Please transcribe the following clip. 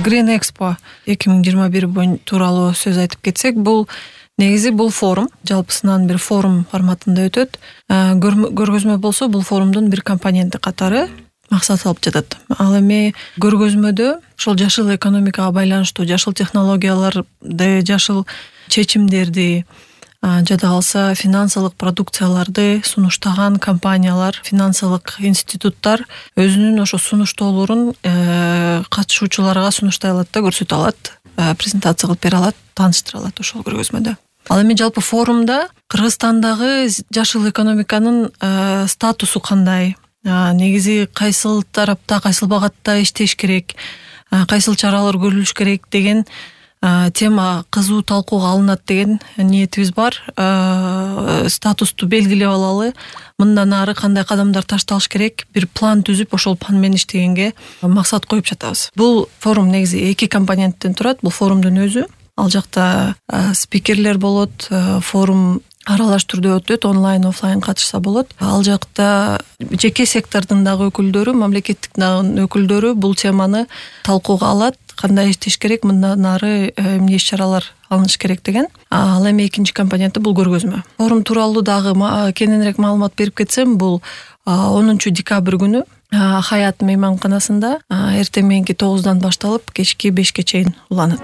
Green Expo 2021 тууралуу сөз айтып кетсек, бул негизи бул форум жалпысынан бир форум форматында өтөт. Көргөзмө болсо бул форумдун бир компоненти катары максат алып жатат. Ал эми көргөзмөдө ошол жашыл экономикага байланыштуу жашыл технологияларды, жашыл чечимдерди, жада калса финансылык продукцияларды сунуштаган компаниялар, финансылык институттар өзүнүн ошо сунуштоолорун катышуучуларга сунуштай алат да, көрсөтө алат, презентация кылып бере алат, тааныштыра алат ошол көргөзмөдө. Ал эми жалпы форумда Кыргызстандагы жашыл экономиканын статусу кандай, негизи кайсыл тарапта, кайсыл багатта иштеш керек, кайсыл чаралар көрүлүш керек деген тема кызуу талкууга алынат деген ниетибиз бар. Статусту белгилеп алалы, мындан ары кандай кадамдар ташталыш керек, бир план түзүп ошол план менен иштегенге максат коюп жатабыз. Бул форум негизи 2 компоненттен турат. Бул форумдун өзү, ал жакта спикерлер болот, форум аралаш түрдө өтөт, онлайн, офлайн катышса болот. Ал жакта жеке сектордун дагы өкүлдөрү, мамлекеттик дагы өкүлдөрү бул теманы талкууга алат, кандай иштеш керек, мындан ары эмне иш-чаралар алыныш керек деген. Ал эми экинчи компоненти бул көргөзмө. Форум тууралуу дагы кененирээк маалымат берип кетсем, бул 10 декабрь күнү Хаят мейманканасында эртең мененки 9-дан башталып кечки 5-ке чейин уланат.